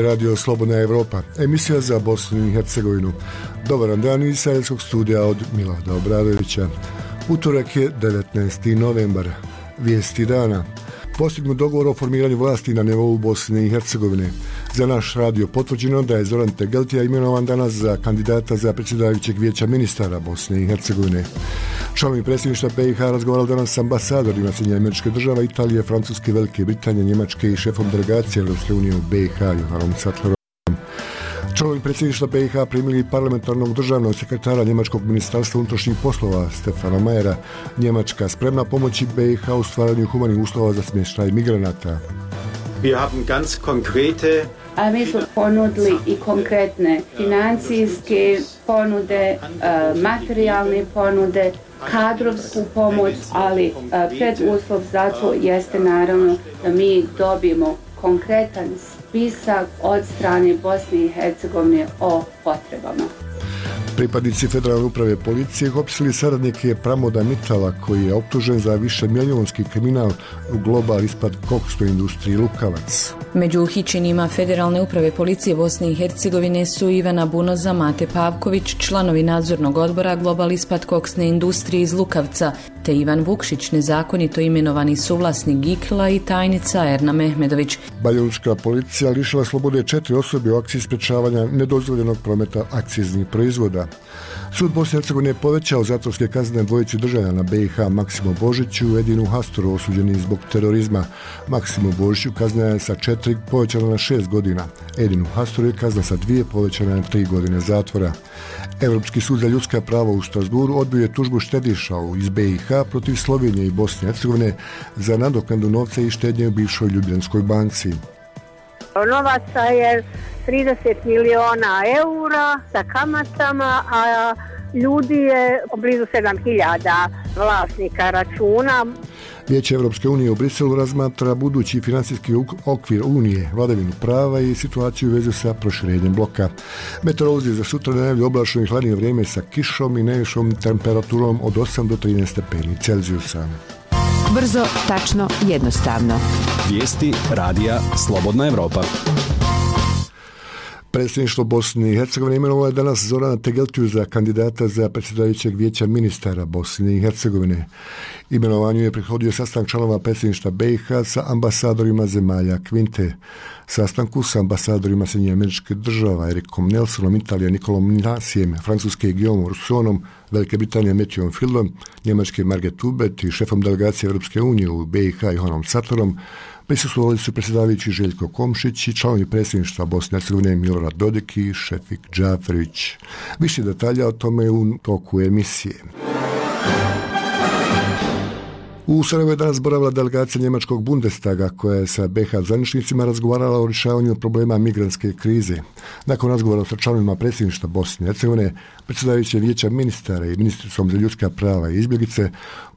radio Slobodna Evropa, emisija za Bosnu i Hercegovinu. Dobar dan iz Sarajevskog studija od Milada Obradovića. Utorak je 19. novembar. Vijesti dana. Postignut dogovor o formiranju vlasti na nivou Bosne i Hercegovine. Za naš radio potvrđeno da je Zoran Tegeltija imenovan danas za kandidata za predsjedavajućeg vijeća ministara Bosne i Hercegovine. Članovi predsjedništva BiH razgovarali danas s ambasadorima Sjedinjenih Američkih Država, Italije, Francuske, Velike Britanije, Njemačke i šefom delegacije Europske unije u BiH Johanom Sattlerom. Članovi predsjedništva BiH primili parlamentarnog državnog sekretara Njemačkog ministarstva unutrašnjih poslova Stefana Mayera. Njemačka spremna pomoći BiH u stvaranju humanih uslova za smještaj migranata. A mi smo ponudili i konkretne financijske ponude, materijalne ponude, kadrovsku pomoć, ali preduslov za to jeste naravno da mi dobijemo konkretan spisak od strane Bosne i Hercegovine o potrebama. Pripadnici Federalne uprave policije hapsili saradnike Pramoda Mitala, koji je optužen za višemilionski kriminal u global ispad koksnoj industriji Lukavac. Među uhićenima Federalne uprave policije Bosne i Hercegovine su Ivana Bunoza, Mate Pavković, članovi nadzornog odbora global ispad koksne industrije iz Lukavca, te Ivan Vukšić, nezakonito imenovani suvlasnik Gikla, i tajnica Erna Mehmedović. Banjalučka policija lišila slobode 4 osobe u akciji sprečavanja nedozvoljenog prometa akciznih proizvoda. Sud Bosne i Hercegovine je povećao zatvorske kazne dvojici državljana BiH Maksimo Božiću i Edinu Hastoru, osuđeni zbog terorizma. Maksimo Božiću kazna je sa 4 povećana na 6 godina. Edinu Hastoru je kazna sa 2 povećana na 3 godine zatvora. Europski sud za ljudska prava u Strasburu odbio je tužbu štediša iz BiH protiv Slovenije i Bosne i Hercegovine za nadoknadu novca i štednje u bivšoj Ljubljanskoj banci. Novaca je 30 miliona eura sa kamatama, a ljudi je blizu 7000 vlasnika računa. Vijeće Europske unije u Briselu razmatra budući financijski okvir Unije, vladavinu prava i situaciju u vezi sa proširenjem bloka. Meteorolozi za sutra najavljuju oblačno i hladnije vrijeme sa kišom i najvišom temperaturom od 8 do 13 stepeni Celzijusa. Brzo, tačno, jednostavno. Vijesti radija Slobodna Evropa. Predsjedništvo Bosne i Hercegovine imenovalo je danas Zorana Tegeltiju za kandidata za predsjedavajućeg vijeća ministara Bosne i Hercegovine. Imenovanju je prethodio sastanak članova predsjedništva BiH sa ambasadorima zemalja Kvinte. Sastanku sa ambasadorima Sjedinjenih Američkih Država Erikom Nelsonom, Italije Nikolom Nasijem, Francuske Guillaumom Rousseauom, Velike Britanije Matthewom Fieldom, Njemačke Margaret Hubert i šefom delegacije Europske unije u BiH Johanom Sattlerom. Prisustvovali su predsjedavajući Željko Komšić i članovi predsjedništva Bosne i Hercegovine Milorad Dodik i Šefik Džaferić. Više detalja o tome u toku emisije. U Sarajevu je danas boravila delegacija njemačkog Bundestaga koja je sa BiH zvaničnicima razgovarala o rješavanju problema migrantske krize. Nakon razgovora sa članovima predsjedništva Bosne i Hercegovine, predsjedavajuće vijeća ministara i ministricom za ljudska prava i izbjeglice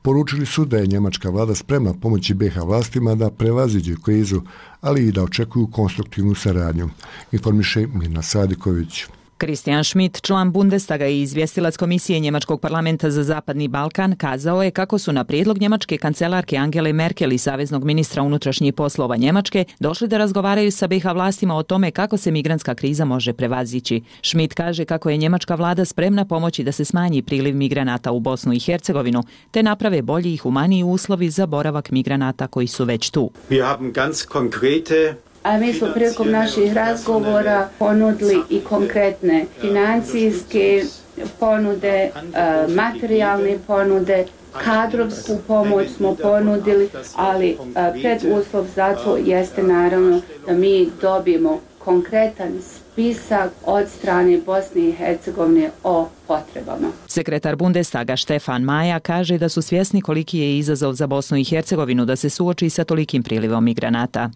poručili su da je njemačka vlada spremna pomoći BiH vlastima da prevaziđe krizu, ali i da očekuju konstruktivnu saradnju. Informiše Mirna Sadiković. Christian Schmidt, član Bundestaga i izvjestilac Komisije Njemačkog parlamenta za Zapadni Balkan, kazao je kako su na prijedlog njemačke kancelarke Angele Merkel i saveznog ministra unutrašnjih poslova Njemačke došli da razgovaraju sa BiH vlastima o tome kako se migrantska kriza može prevazići. Schmidt kaže kako je njemačka vlada spremna pomoći da se smanji priliv migranata u Bosnu i Hercegovinu, te naprave bolji i humaniji uslovi za boravak migranata koji su već tu. A mi smo prilikom naših razgovora ponudili i konkretne financijske ponude, materijalne ponude, kadrovsku pomoć smo ponudili, ali preduslov za to jeste naravno da mi dobijemo konkretan spisak od strane Bosne i Hercegovine o potrebama. Sekretar Bundestaga Stefan Maja kaže da su svjesni koliki je izazov za Bosnu i Hercegovinu da se suoči sa tolikim prilivom migranata.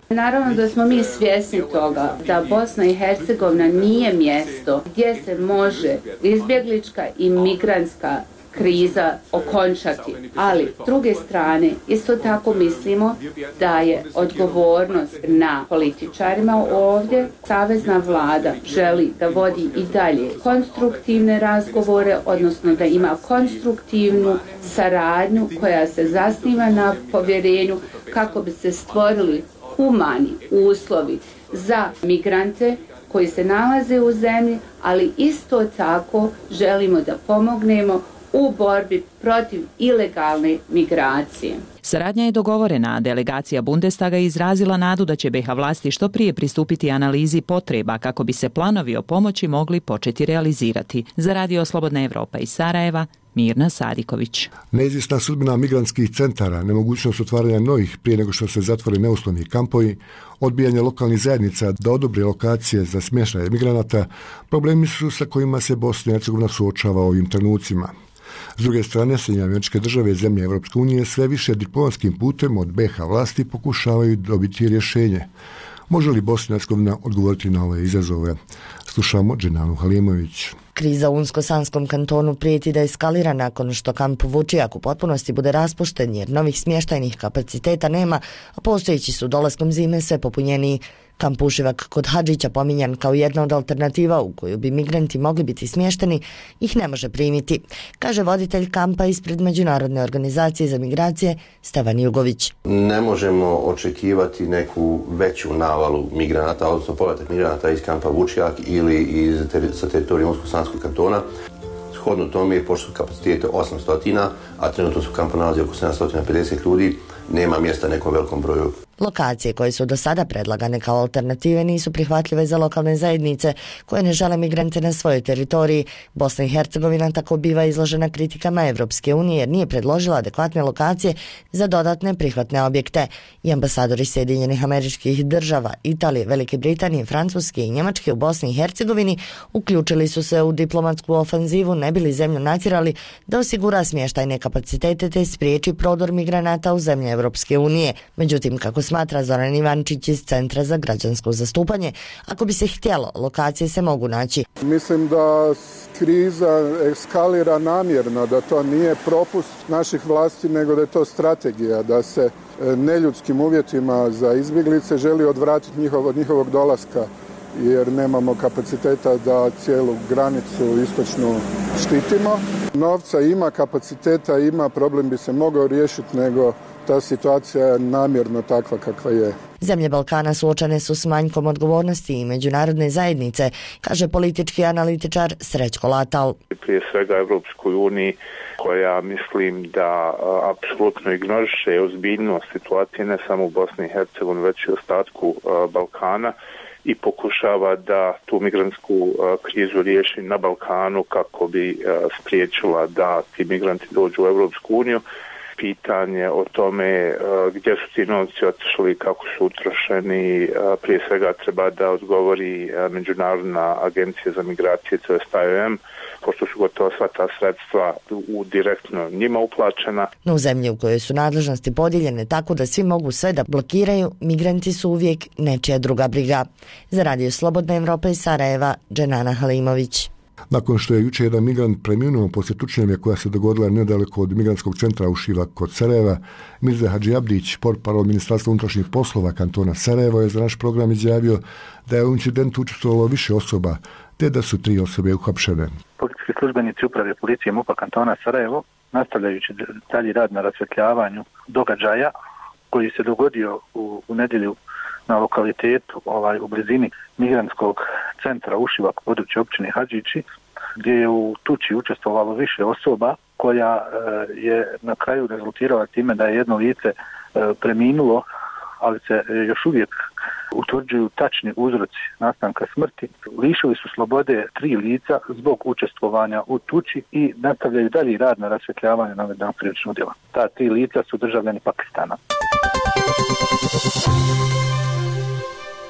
Naravno da smo mi svjesni toga da Bosna i Hercegovina nije mjesto gdje se može izbjeglička i migrantska kriza okončati. Ali, s druge strane, isto tako mislimo da je odgovornost na političarima ovdje. Savezna vlada želi da vodi i dalje konstruktivne razgovore, odnosno da ima konstruktivnu saradnju koja se zasniva na povjerenju kako bi se stvorili humani uslovi za migrante koji se nalaze u zemlji, ali isto tako želimo da pomognemo u borbi protiv ilegalne migracije. Saradnja je dogovorena, a delegacija Bundestaga je izrazila nadu da će BiH vlasti što prije pristupiti analizi potreba kako bi se planovi o pomoći mogli početi realizirati. Za Radio Slobodna Evropa iz Sarajeva, Mirna Sadiković. Neizvjesna sudbina migrantskih centara, nemogućnost otvaranja novih prije nego što se zatvore neuslovni kampovi, odbijanje lokalnih zajednica da odobre lokacije za smještaj migranata, problemi su sa kojima se Bosna i Hercegovina suočava u ovim trenucima. S druge strane, Sjedinjene Američke Države i zemlje Europske unije sve više diplomatskim putem od BiH vlasti pokušavaju dobiti rješenje. Može li Bosna i Hercegovina odgovoriti na ove izazove? Slušamo Dženanu Halimović. Kriza u Unsko-Sanskom kantonu prijeti da eskalira nakon što kamp Vučijak u potpunosti bude raspušten jer novih smještajnih kapaciteta nema, a postojeći su dolaskom zime sve popunjeniji. Kamp Ušivak kod Hadžića, pominjan kao jedna od alternativa u koju bi migranti mogli biti smješteni, ih ne može primiti, kaže voditelj kampa ispred Međunarodne organizacije za migracije Stevan Jugović. Ne možemo očekivati neku veću navalu migranata, odnosno povratak migranata iz kampa Vučijak ili sa teritorija Unsko-Sanskog kantona. Shodno tome, pošto su kapacitete 800, a trenutno su u kampu nalazi oko 750 ljudi, nema mjesta nekom velikom broju. Lokacije koje su do sada predlagane kao alternative nisu prihvatljive za lokalne zajednice koje ne žele migrante na svojoj teritoriji. Bosna i Hercegovina tako biva izložena kritikama Evropske unije jer nije predložila adekvatne lokacije za dodatne prihvatne objekte. I ambasadori Sjedinjenih Američkih Država, Italije, Velike Britanije, Francuske i Njemačke u Bosni i Hercegovini uključili su se u diplomatsku ofanzivu ne bili zemlju natjerali da osigura smještajne kapacitete te spriječi prodor migranata u zemlje Evropske unije. Međutim, kako smatra Zoran Ivančić iz Centra za građansko zastupanje, ako bi se htjelo, lokacije se mogu naći. Mislim da kriza eskalira namjerno, da to nije propust naših vlasti, nego da je to strategija, da se neljudskim uvjetima za izbjeglice želi odvratiti od njihovog dolaska, jer nemamo kapaciteta da cijelu granicu istočnu štitimo. Novca ima, kapaciteta ima, problem bi se mogao riješiti, nego ta situacija je namjerno takva kakva je. Zemlje Balkana suočene su s manjkom odgovornosti i međunarodne zajednice, kaže politički analitičar Srećko Latal. Prije svega Evropskoj uniji, koja mislim da apsolutno ignoriše ozbiljnost situacije ne samo u Bosni i Hercegovini, već i ostatku Balkana i pokušava da tu migrantsku krizu riješi na Balkanu kako bi spriječila da ti migranti dođu u Evropsku uniju. Pitanje o tome gdje su ti novci otišli, kako su utrošeni, prije svega treba da odgovori Međunarodna agencija za migracije, to je IOM, pošto su gotovo sva ta sredstva direktno njima uplaćena. No u zemlji u kojoj su nadležnosti podijeljene tako da svi mogu sve da blokiraju, migranti su uvijek nečija druga briga. Za Radio Slobodna Evropa iz Sarajeva, Dženana Halimović. Nakon što je jučer jedan migrant preminuo poslije tučnjave koja se dogodila nedaleko od migrantskog centra Ušivak kod Sarajeva, Mirza Hadžiabdić, portparol Ministarstva unutrašnjih poslova kantona Sarajevo, je za naš program izjavio da je u incidentu učestvovalo više osoba, te da su 3 osobe uhapšene. Policijski službenici uprave policije MUP-a kantona Sarajevo, nastavljajući dalji rad na rasvjetljavanju događaja koji se dogodio u nedjelju na lokalitetu u blizini migrantskog centra Ušivak, područje općine Hadžići, gdje je u tuči učestvovalo više osoba, koja je na kraju rezultirala time da je jedno lice preminulo, ali se još uvijek utvrđuju tačni uzroci nastanka smrti. Lišili su slobode 3 lica zbog učestvovanja u tuči i nastavljaju dalji rad na rasvjetljavanju navedenog krivičnog djela. Ta 3 lica su državljani Pakistana.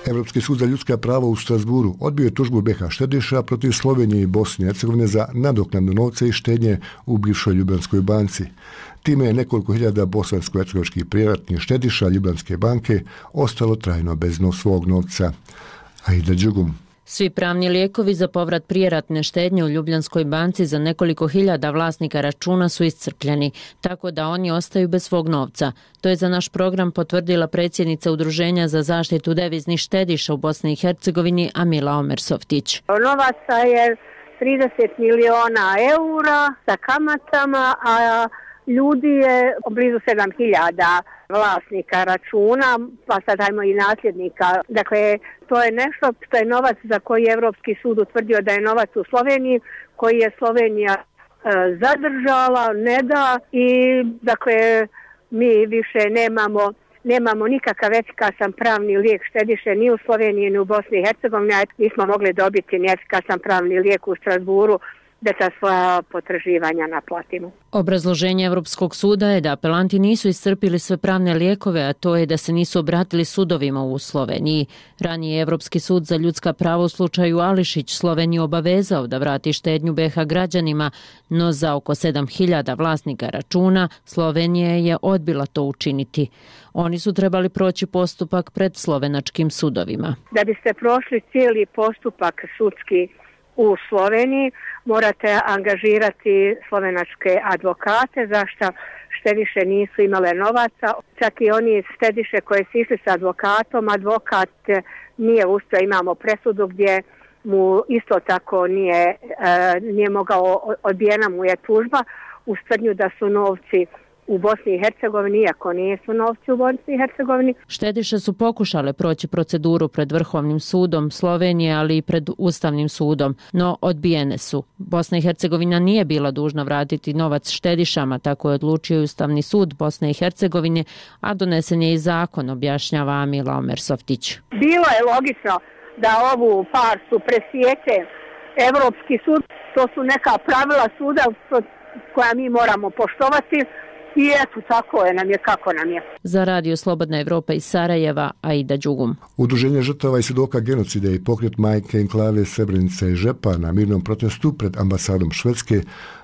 Evropski sud za ljudska prava u Strasburu odbio je tužbu BiH štediša protiv Slovenije i Bosne i Hercegovine za nadoknadu novca i štednje u bivšoj Ljubljanskoj banci. Time je nekoliko hiljada bosansko-hercegovačkih privatnih štediša Ljubljanske banke ostalo trajno bez svog novca. Aida Đugum. Svi pravni lijekovi za povrat prijeratne štednje u Ljubljanskoj banci za nekoliko hiljada vlasnika računa su iscrpljeni, tako da oni ostaju bez svog novca. To je za naš program potvrdila predsjednica Udruženja za zaštitu deviznih štediša u Bosni i Hercegovini Amila Omersoftić. Novaca je 30 miliona eura sa kamatama, a ljudi je blizu 7.000 vlasnika računa, pa sad ajmo i nasljednika. Dakle, to je nešto što je novac za koji je Evropski sud utvrdio da je novac u Sloveniji, koji je Slovenija zadržala, ne da, i dakle mi više nemamo nikakav efikasan pravni lijek štediše ni u Sloveniji ni u Bosni i Hercegovini, a nismo mogli dobiti ni efikasan pravni lijek u Strasburu da ta svoja potraživanja naplatimo. Obrazloženje Europskog suda je da apelanti nisu iscrpili sve pravne lijekove, a to je da se nisu obratili sudovima u Sloveniji. Ranije je Europski sud za ljudska prava u slučaju Ališić Sloveniju obavezao da vrati štednju BiH građanima, no za oko 7.000 vlasnika računa Slovenija je odbila to učiniti. Oni su trebali proći postupak pred slovenačkim sudovima. Da biste prošli cijeli postupak sudski u Sloveniji, morate angažirati slovenačke advokate, zašto štediše nisu imale novaca. Čak i oni štediše koje su išli s advokatom, advokat nije uspio, imamo presudu gdje mu isto tako nije mogao, odbijena mu je tužba u tvrdnju da su novci u Bosni i Hercegovini, iako nisu novci u Bosni i Hercegovini. Štediše su pokušale proći proceduru pred Vrhovnim sudom Slovenije, ali i pred Ustavnim sudom, no odbijene su. Bosna i Hercegovina nije bila dužna vratiti novac štedišama, tako je odlučio Ustavni sud Bosne i Hercegovine, a donesen je i zakon, objašnjava Amila Omersoftić. Bilo je logično da ovu farsu presječe Evropski sud, to su neka pravila suda koja mi moramo poštovati. I eto, tako je nam je kako nam je. Za Radio Slobodna Evropa iz Sarajeva, Aida Đugum. Udruženje žrtava i svjedoka genocida i pokret majke enklave Srebrenica i Žepa na mirnom protestu pred ambasadom Švedske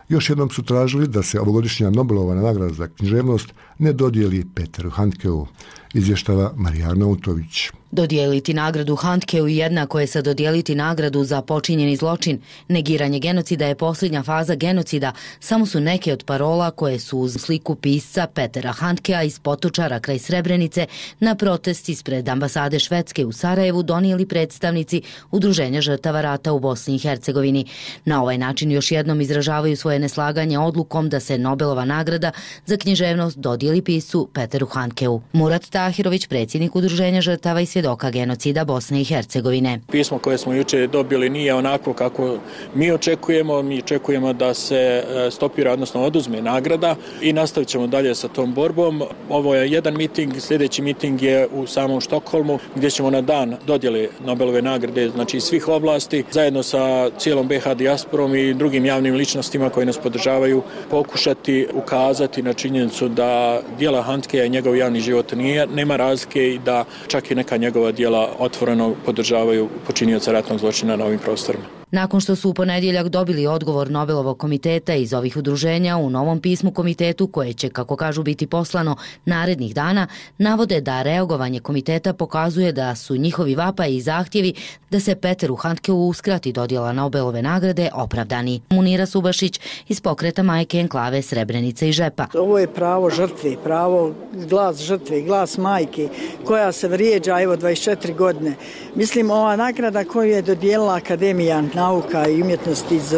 još jednom su tražili da se ovogodišnja Nobelova nagrada za književnost ne dodijeli Peteru Handkeu, izvještava Marija Arnautović. Dodijeliti nagradu Handkeu jednako je sa dodijeliti nagradu za počinjeni zločin. Negiranje genocida je posljednja faza genocida, samo su neke od parola koje su uz sliku pisca Petera Handkea iz Potočara kraj Srebrenice na protest ispred ambasade Švedske u Sarajevu donijeli predstavnici Udruženja žrtava rata u Bosni i Hercegovini. Na ovaj način još jednom izražavaju svoje neslaganje odlukom da se Nobelova nagrada za književnost dodijeli piscu Peteru Handkeu. Murat Tahirović, predsjednik Udruženja žrtava i svjedoka genocida Bosne i Hercegovine. Pismo koje smo jučer dobili nije onako kako mi očekujemo. Mi očekujemo da se stopira, odnosno oduzme nagrada i nastavit ćemo dalje sa tom borbom. Ovo je jedan miting, sljedeći miting je u samom Štokholmu gdje ćemo na dan dodjele Nobelove nagrade, znači svih oblasti, zajedno sa cijelom BiH dijasporom i drugim javnim ličnostima koji nas podržavaju, pokušati ukazati na činjenicu da djela Handkea i njegov javni život nema razlike i da čak i neka njegova djela otvoreno podržavaju počinioca ratnog zločina na ovim prostorima. Nakon što su u ponedjeljak dobili odgovor Nobelovog komiteta iz ovih udruženja, u novom pismu komitetu, koje će, kako kažu, biti poslano narednih dana, navode da reagovanje komiteta pokazuje da su njihovi vapaji i zahtjevi da se Peteru Handkeu uskrati dodjela Nobelove nagrade opravdani. Munira Subašić iz pokreta majke enklave Srebrenice i Žepa. Ovo je pravo žrtve, pravo glas žrtve, glas majke koja se vrijeđa 24 godine. Mislim, ova nagrada koju je dodijelila Akademija nauka i umjetnosti iz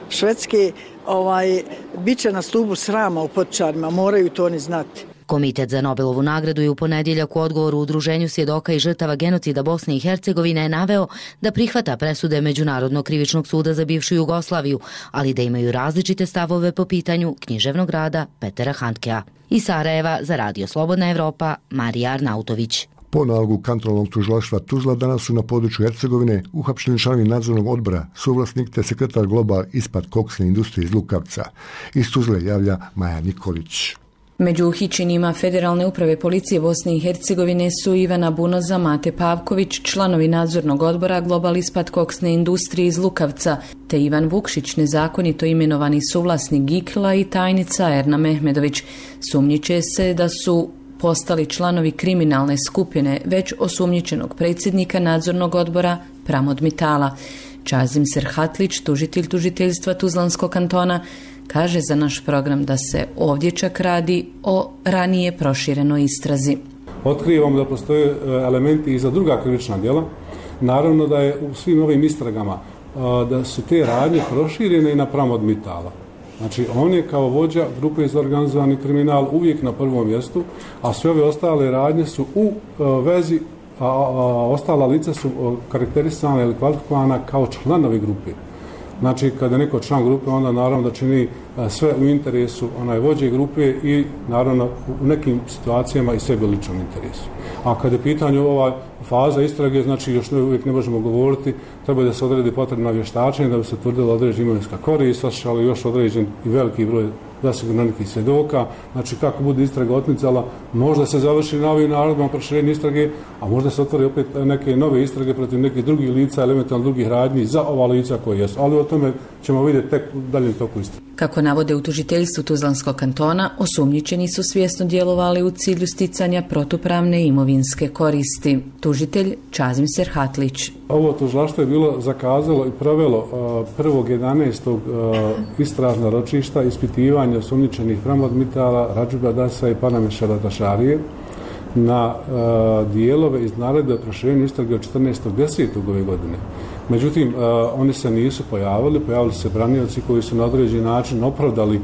Švedske, bit će na stubu srama u Potočarima, moraju to oni znati. Komitet za Nobelovu nagradu je u ponedjeljak u odgovoru Udruženju svjedoka i žrtava genocida Bosne i Hercegovine je naveo da prihvata presude Međunarodnog krivičnog suda za bivšu Jugoslaviju, ali da imaju različite stavove po pitanju književnog rada Petera Handkea. Iz Sarajeva za Radio Slobodna Evropa, Marija Arnautović. Po nalogu kantonalnog tužilaštva Tuzla danas su na području Hercegovine uhapšeni članovi nadzornog odbora, suvlasnik te sekretar Global ispad koksne industrije iz Lukavca. Iz Tuzle javlja Maja Nikolić. Među uhićenima Federalne uprave policije Bosne i Hercegovine su Ivana Bunoza, Mate Pavković, članovi nadzornog odbora Global ispad koksne industrije iz Lukavca, te Ivan Vukšić, nezakonito imenovani suvlasnik Gikla, i tajnica Erna Mehmedović. Sumnjiče se da su postali članovi kriminalne skupine već osumnjičenog predsjednika nadzornog odbora Pramod Mitala. Čazim Serhatlić, tužitelj tužiteljstva Tuzlanskog kantona, kaže za naš program da se ovdje čak radi o ranije proširenoj istrazi. Otkrivamo da postoje elementi i za druga krivična djela. Naravno da je u svim ovim istragama da su te radnje proširene i na Pramod Mitala. Znači, on je kao vođa grupe za organizovani kriminal uvijek na prvom mjestu, a sve ove ostale radnje su u vezi, a ostala lica su karakterisana ili kvalifikovana kao članovi grupe. Znači, kada je neko član grupe, onda naravno da čini sve u interesu vođe grupe i naravno u nekim situacijama i sebi ličnom interesu. A kada je pitanju ova faza istrage, znači još uvijek ne možemo govoriti, treba da se odredi potrebna vještačenja da bi se utvrdila određena imovinska korist, ali još određen i veliki broj zasigurno nekih svjedoka. Znači, kako bude istraga otmicala, možda se završi na ovim narodima proširenje istrage, a možda se otvori opet neke nove istrage protiv nekih drugih lica, elementarno drugih radnji za ova lica koje jesu. Ali o tome ćemo vidjeti tek u daljem toku istrage. Kako navode u tužiteljstvu Tuzlanskog kantona, osumnjičeni su svjesno djelovali u cilju sticanja protupravne imovinske koristi. Tužitelj Čazim Serhatlić. Ovo tužilaštvo je bilo zakazalo i provelo 1.11. istražna ročišta ispitivanja osumnjičenih Pramod Mitala, Radžiba Dasa i Panamešara Tašarije na dijelove iz naredbe o proširenju istrage od 14.10. ove godine. Međutim, oni se nisu pojavili su se branioci koji su na određeni način opravdali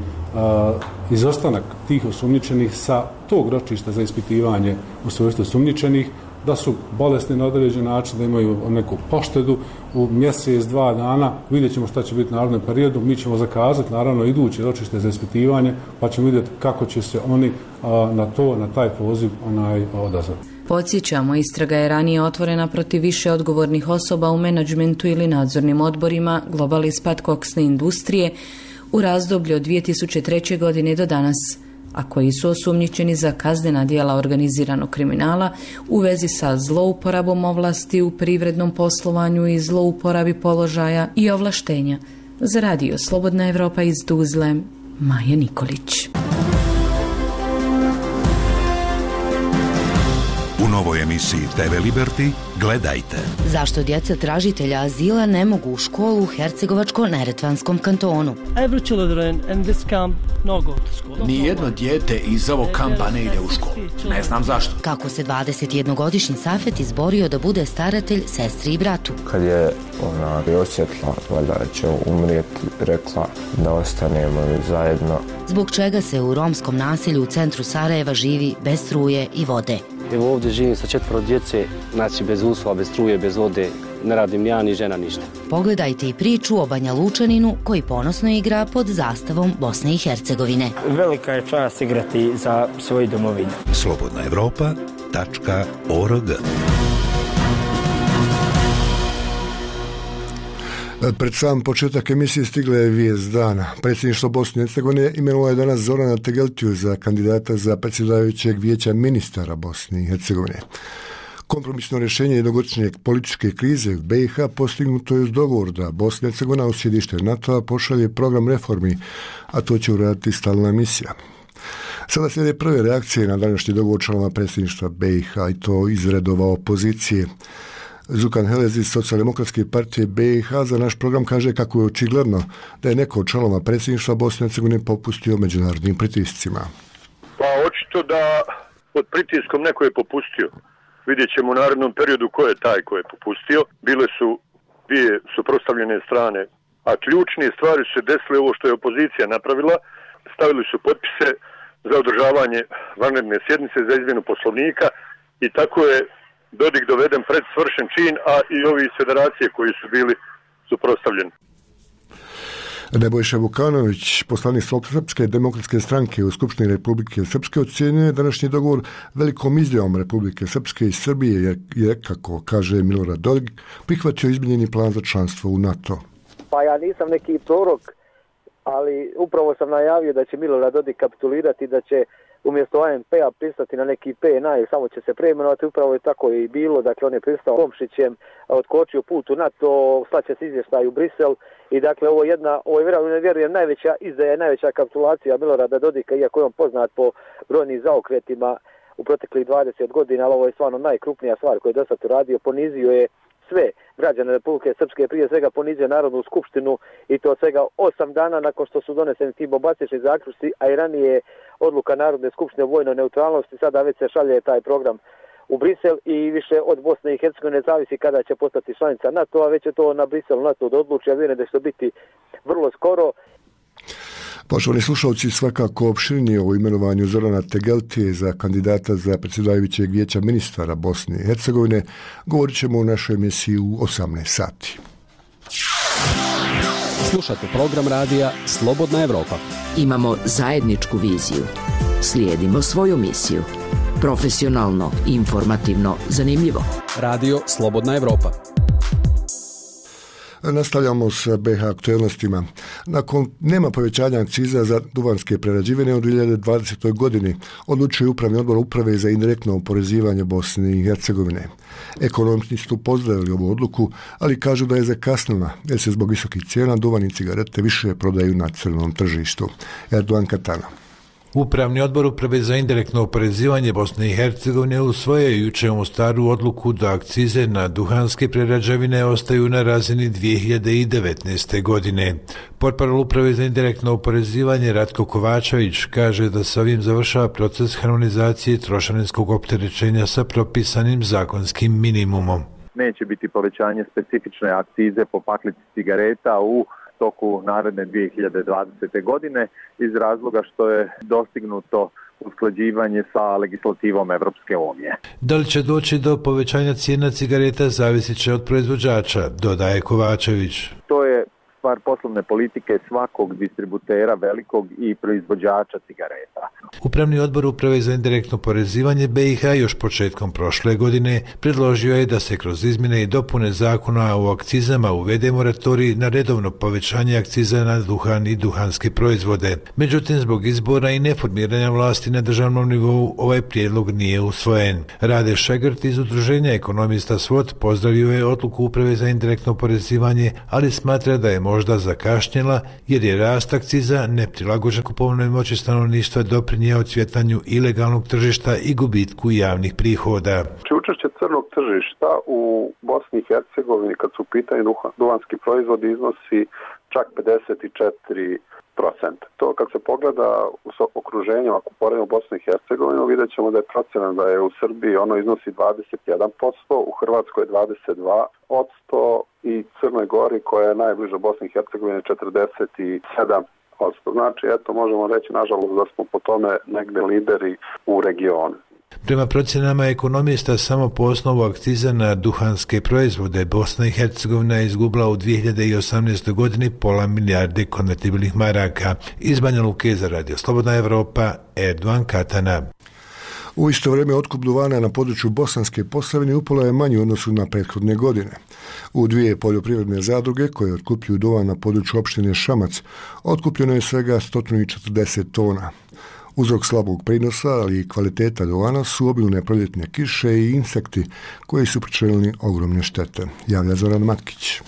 izostanak tih osumnjičenih sa tog ročišta za ispitivanje u svojstvu osumnjičenih, da su bolesni na određen način, da imaju neku poštedu u mjesec, 2 dana. Vidjet ćemo šta će biti u narednom periodu. Mi ćemo zakazati naravno iduće ročište za ispitivanje, pa ćemo vidjeti kako će se oni na taj poziv odazvati. Podsjećamo, istraga je ranije otvorena protiv više odgovornih osoba u menadžmentu ili nadzornim odborima Global Ispat koksne industrije u razdoblju od 2003. godine do danas, a koji su osumnjičeni za kaznena djela organiziranog kriminala u vezi sa zlouporabom ovlasti u privrednom poslovanju i zlouporabi položaja i ovlaštenja. Za radio Slobodna Evropa iz Tuzle, Maja Nikolić. U novoj emisiji TV Liberty gledajte. Zašto djeca tražitelja azila ne mogu u školu u Hercegovačko-Neretvanskom kantonu? Nijedno dijete iz ovog kampa ne ide u školu. Ne znam zašto. Kako se 21-godišnji Safet izborio da bude staratelj sestri i bratu? Kad je ona osjetila valjda će umrijeti, rekla da ostanemo zajedno. Zbog čega se u romskom naselju u centru Sarajeva živi bez struje i vode? Evo ovdje živim sa 4 djece, znači bez uslova, bez struje, bez vode, ne radim ni ja ni žena ništa. Pogledajte i priču o Banja Lučaninu koji ponosno igra pod zastavom Bosne i Hercegovine. Velika je čast igrati za svoju domovinu. slobodnaevropa.org. Pred sam početak emisije stigla je vijest dana. Predsjedništvo Bosne i Hercegovine imenovalo je danas Zorana Tegeltiju za kandidata za predsjedavajućeg vijeća ministara Bosne i Hercegovine. Kompromisno rješenje jednogodišnje političke krize u BiH postignuto je uz dogovor da Bosna i Hercegovina u sjedište NATO-a pošalje program reformi, a to će uraditi stalna misija. Sada slijede prve reakcije na današnji dogovor članova predsjedništva BiH i to iz redova opozicije. Zukan Helez iz Socijaldemokratske partije BiH za naš program kaže kako je očigledno da je neko od članova predsjedništva Bosne i Hercegovine popustio međunarodnim pritiscima. Pa očito da pod pritiskom neko je popustio. Vidjet ćemo u narednom periodu ko je taj ko je popustio. Bile su dvije suprotstavljene strane, a ključne stvari su se desile ovo što je opozicija napravila. Stavili su potpise za održavanje vanredne sjednice za izmjenu poslovnika i tako je Dodik doveden pred svršen čin, a i ovi iz federacije koji su bili suprotstavljeni. Nebojša Vukanović, poslanik Srpske demokratske stranke u Skupštini Republike Srpske, ocjenjuje današnji dogovor velikom izjavom Republike Srpske i Srbije, jer je, kako kaže Milorad Dodik, prihvatio izmijenjeni plan za članstvo u NATO. Pa ja nisam neki prorok, ali upravo sam najavio da će Milorad Dodik kapitulirati, da će umjesto ANP-a pristati na neki PNA i samo će se preimenovati, upravo je tako i bilo, dakle on je pristao Komšićem, otkočio put u NATO, slaće se izvještaj u Brisel i dakle ovo je vjerujem najveća izdaja, najveća kapitulacija Milorada Dodika, iako je on poznat po brojnim zaokretima u proteklih 20 godina, ali ovo je stvarno najkrupnija stvar koju je do sad uradio, ponizio je sve građane Republike Srpske, prije svega ponizio Narodnu skupštinu i to svega 8 dana nakon što su doneseni ti bombastični zaključci, a i ranije odluka Narodne skupštine o vojnoj neutralnosti, sada već se šalje taj program u Brisel i više od Bosne i Hercegovine zavisi kada će postati članica NATO, a već je to na Briselu NATO da odluči, a vjerujem da će to biti vrlo skoro. Poštovani slušalci, svakako opširnije o imenovanju Zorana Tegeltije za kandidata za predsjedavajućeg vijeća ministara Bosne i Hercegovine govorit ćemo u našoj emisiji u 18 sati. Slušate program radija Slobodna Evropa. Imamo zajedničku viziju. Slijedimo svoju misiju. Profesionalno, informativno, zanimljivo. Radio Slobodna Evropa. Nastavljamo s BiH aktualnostima. Nakon nema povećanja akciza za duvanske prerađevine u 2020. godini, odlučuje Upravni odbor Uprave za indirektno oporezivanje Bosne i Hercegovine. Ekonomisti su pozdravili ovu odluku, ali kažu da je zakasnila jer se zbog visokih cijena duvan i cigarete više prodaju na crnom tržištu. Erdogan Katana. Upravni odbor Uprave za indirektno oporezivanje Bosne i Hercegovine usvojio jučer u Mostaru odluku da akcize na duhanske prerađevine ostaju na razini 2019. godine. Portparol Uprave za indirektno oporezivanje Ratko Kovačević kaže da se ovim završava proces harmonizacije trošarinskog opterećenja sa propisanim zakonskim minimumom. Neće biti povećanje specifične akcize po paklici cigareta u toku naredne 2020. godine iz razloga što je dostignuto usklađivanje sa legislativom Evropske unije. Da li će doći do povećanja cijena cigareta zavisit će od proizvođača, dodaje Kovačević. To je stvar poslovne politike svakog distributera velikog i proizvođača cigareta. Upravni odbor Uprave za indirektno oporezivanje BiH još početkom prošle godine predložio je da se kroz izmjene i dopune zakona o akcizama uvede moratorij na redovno povećanje akciza na duhan i duhanske proizvode. Međutim, zbog izbora i neformiranja vlasti na državnom nivou ovaj prijedlog nije usvojen. Rade Šegrt iz Udruženja ekonomista SWOT pozdravio je odluku Uprave za indirektno oporezivanje, ali smatra da je možda zakašnjela jer je rast akciza neprilagođen kupovnoj moći stanovništva doprinjeo cvjetanju ilegalnog tržišta i gubitku javnih prihoda. Učešće crnog tržišta u Bosni i Hercegovini kad su u pitanju duvanski proizvodi iznosi čak 54%. To kad se pogleda u okruženju, ako poredimo Bosnu i Hercegovinu, vidjet ćemo da je procena da je u Srbiji ono iznosi 21%, u Hrvatskoj 22% i Crnoj Gori koja je najbliža Bosni i Hercegovini 47%. Znači, eto, možemo reći, nažalost, da smo po tome negde lideri u regionu. Prema procjenama ekonomista, samo po osnovu akciza na duhanske proizvode Bosna i Hercegovina je izgubila u 2018. godini pola milijarde konvertibilnih maraka. Iz Banja Luke za Radio Slobodna Evropa, Erdogan Katana. U isto vrijeme otkup duvana na području Bosanske Posavine upola je manji u odnosu na prethodne godine. U dvije poljoprivredne zadruge koje otkupljuju duvan na području opštine Šamac otkupljeno je svega 140 tona. Uzrok slabog prinosa, ali i kvaliteta duvana su obilne proljetne kiše i insekti koji su pričinili ogromne štete. Javlja Zoran Matkić.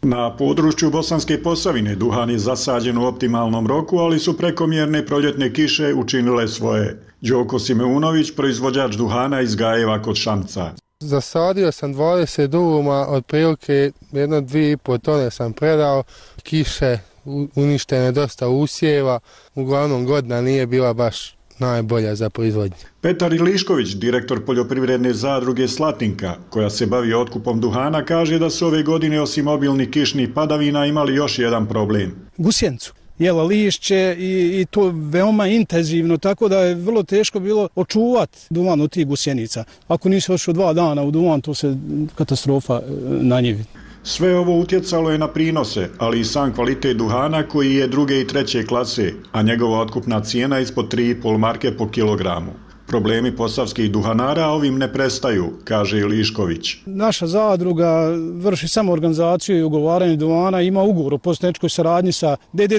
Na području Bosanske Posavine duhan je zasađen u optimalnom roku, ali su prekomjerne proljetne kiše učinile svoje. Đoko Simeunović, proizvođač duhana iz Gajeva kod Šamca. Zasadio sam 20 duvuma, otprilike 1-2,5 tone sam predao, kiše uništene, dosta usjeva, uglavnom godina nije bila baš najbolja za proizvodnju. Petar Ilišković, direktor poljoprivredne zadruge Slatinka, koja se bavi otkupom duhana, kaže da su ove godine osim obilnih kišnih padavina imali još jedan problem. Gusjenicu. Jela lišće i to veoma intenzivno, tako da je vrlo teško bilo očuvati duvan od tih gusjenica. Ako nisi ošao 2 dana u duvan, to se katastrofa na njivi. Sve ovo utjecalo je na prinose, ali i sam kvalitet duhana koji je 2. i 3. klase, a njegova otkupna cijena ispod 3,5 marke po kilogramu. Problemi posavskih duhanara ovim ne prestaju, kaže Ilišković. Naša zadruga vrši samo organizaciju i ugovaranje duvana, ima ugovor o poslovničkoj saradnji sa DD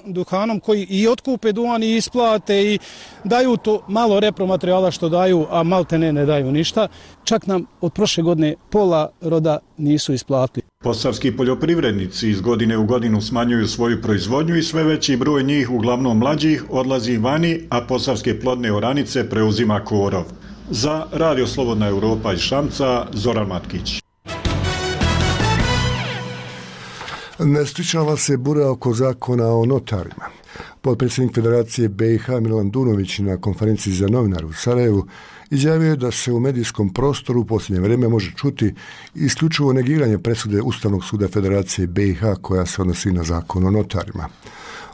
Duhanom koji i otkupe duvan i isplate i daju to malo repromaterijala što daju, a maltene ne daju ništa. Čak nam od prošle godine pola roda nisu isplatili. Posavski poljoprivrednici iz godine u godinu smanjuju svoju proizvodnju i sve veći broj njih, uglavnom mlađih, odlazi vani, a posavske plodne oranice preuzima korov. Za Radio Slobodna Evropa iz Šamca, Zoran Matkić. Ne stičala se bura oko zakona o notarima. Potpredsjednik Federacije BiH Milan Dunović na konferenciji za novinare u Sarajevu izjavio je da se u medijskom prostoru u posljednje vrijeme može čuti isključivo negiranje presude Ustavnog suda Federacije BiH koja se odnosi na zakon o notarima.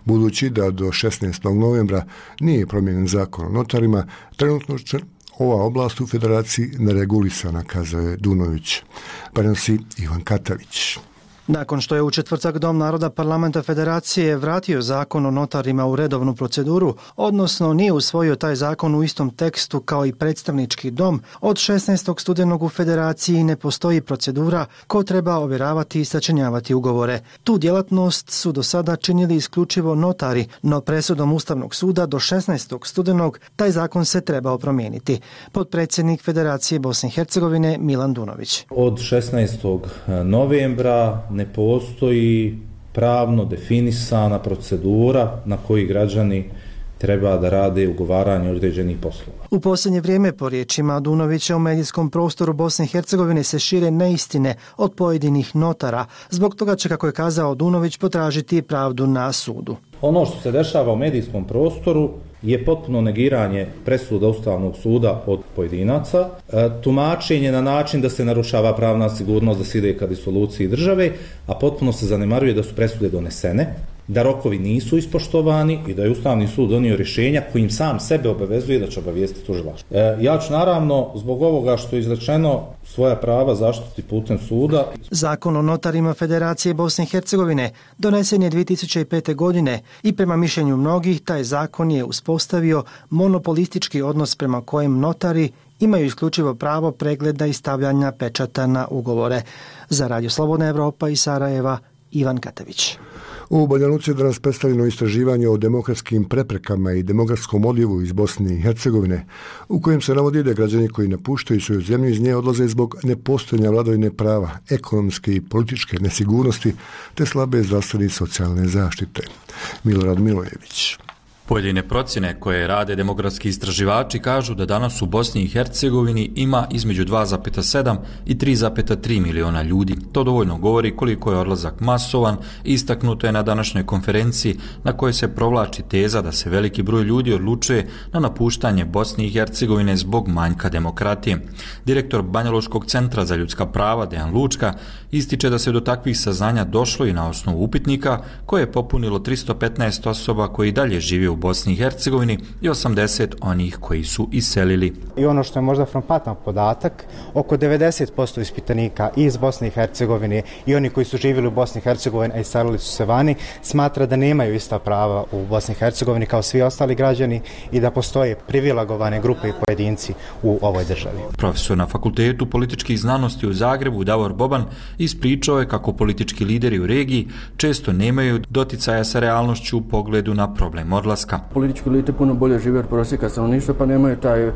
Budući da do 16. novembra nije promijenjen zakon o notarima, trenutno ova oblast u federaciji neregulisana, kazao je Dunović. Prenosi Ivan Katavić. Nakon što je u četvrtak Dom naroda Parlamenta Federacije vratio zakon o notarima u redovnu proceduru, odnosno nije usvojio taj zakon u istom tekstu kao i predstavnički dom, od 16. studenog u Federaciji ne postoji procedura ko treba ovjeravati i sačinjavati ugovore. Tu djelatnost su do sada činili isključivo notari, no presudom Ustavnog suda do 16. studenog taj zakon se trebao promijeniti. Potpredsjednik Federacije Bosne i Hercegovine Milan Dunović. Od 16. novembra ne postoji pravno definisana procedura na koji građani treba da rade ugovaranje određenih poslova. U posljednje vrijeme, po riječima Dunovića, u medijskom prostoru Bosne i Hercegovine se šire neistine od pojedinih notara. Zbog toga će, kako je kazao Dunović, potražiti pravdu na sudu. Ono što se dešava u medijskom prostoru je potpuno negiranje presuda Ustavnog suda od pojedinaca, tumačenje na način da se narušava pravna sigurnost, da se ide ka disoluciji države, a potpuno se zanemaruje da su presude donesene, da rokovi nisu ispoštovani i da je Ustavni sud donio rješenja kojim sam sebe obavezuje da će obavijestiti tužilaštvo. Ja ću naravno zbog ovoga što je izrečeno svoja prava zaštiti putem suda. Zakon o notarima Federacije Bosne i Hercegovine donesen je 2005. godine i prema mišljenju mnogih taj zakon je uspostavio monopolistički odnos prema kojem notari imaju isključivo pravo pregleda i stavljanja pečata na ugovore. Za Radio Slobodna Evropa iz Sarajeva, Ivan Katavić. U Banja Luci je danas predstavljeno istraživanje o demokratskim preprekama i demokratskom odljevu iz Bosne i Hercegovine, u kojem se navodi da građani koji napuštaju svoju zemlju iz nje odlaze zbog nepostojanja vladavine prava, ekonomske i političke nesigurnosti te slabe zdravstvene i socijalne zaštite. Milorad Milojević. Pojedine procjene koje rade demografski istraživači kažu da danas u Bosni i Hercegovini ima između 2,7 i 3,3 miliona ljudi. To dovoljno govori koliko je odlazak masovan i istaknuto je na današnjoj konferenciji na kojoj se provlači teza da se veliki broj ljudi odlučuje na napuštanje Bosne i Hercegovine zbog manjka demokratije. Direktor Banjalučkog centra za ljudska prava Dejan Lučka ističe da se do takvih saznanja došlo i na osnovu upitnika koje je popunilo 315 osoba koji dalje žive u Bosni i Hercegovini i 80 onih koji su iselili. I ono što je možda frapantno podatak, oko 90% ispitanika iz Bosne i Hercegovine i oni koji su živjeli u Bosni i Hercegovini, a iselili su se vani, smatra da nemaju ista prava u Bosni i Hercegovini kao svi ostali građani i da postoje privilegovane grupe i pojedinci u ovoj državi. Profesor na Fakultetu političkih znanosti u Zagrebu Davor Boban ispričao je kako politički lideri u regiji često nemaju doticaja sa realnošću u pogledu na problem odlaska. Politički elite puno bolje žive od prosjeka stanovništva, pa nemaju taj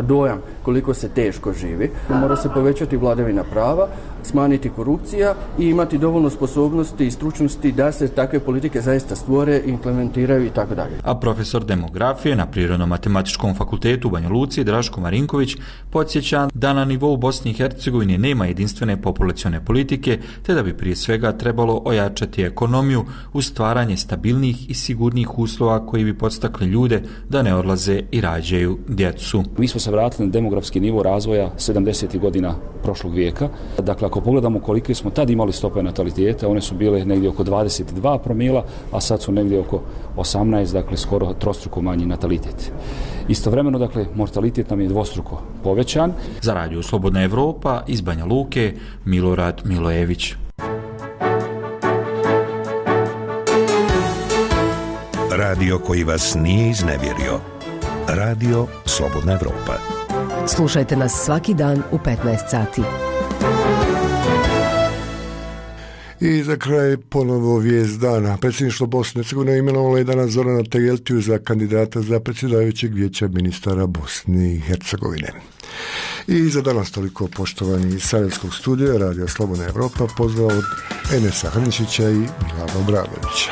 dojam koliko se teško živi. Mora se povećati vladavina prava, smanjiti korupcija i imati dovoljno sposobnosti i stručnosti da se takve politike zaista stvore, implementiraju i tako dalje. A profesor demografije na Prirodno-matematičkom fakultetu u Banja Luci Draško Marinković podsjeća da na nivou Bosne i Hercegovine nema jedinstvene populacione politike, te da bi prije svega trebalo ojačati ekonomiju uz stvaranje stabilnih i sigurnih uslova koji bi podstakli ljude da ne odlaze i rađaju djecu. Mi smo se vratili na demografski nivo razvoja 70. godina prošlog vijeka. Dakle, ako pogledamo kolike smo tad imali stope nataliteta, one su bile negdje oko 22 promila, a sad su negdje oko 18, dakle skoro trostruko manji natalitet. Istovremeno, dakle, mortalitet nam je dvostruko povećan. Za Radio Slobodna Evropa iz Banja Luke, Milorad Milojević. Radio koji vas nije iznevjerio. Radio Slobodna Evropa. Slušajte nas svaki dan u 15 sati. I za kraj ponovo vijest dana. Predsjedništvo Bosne i Hercegovine imenovalo je danas Zorana Tegeltiju za kandidata za predsjedavajućeg vijeća ministara Bosne i Hercegovine. I za danas toliko, poštovani iz Sarajevskog studija Radio Slobodna Evropa, pozdrav od Enesa Hrnišića i Milana Obradovića.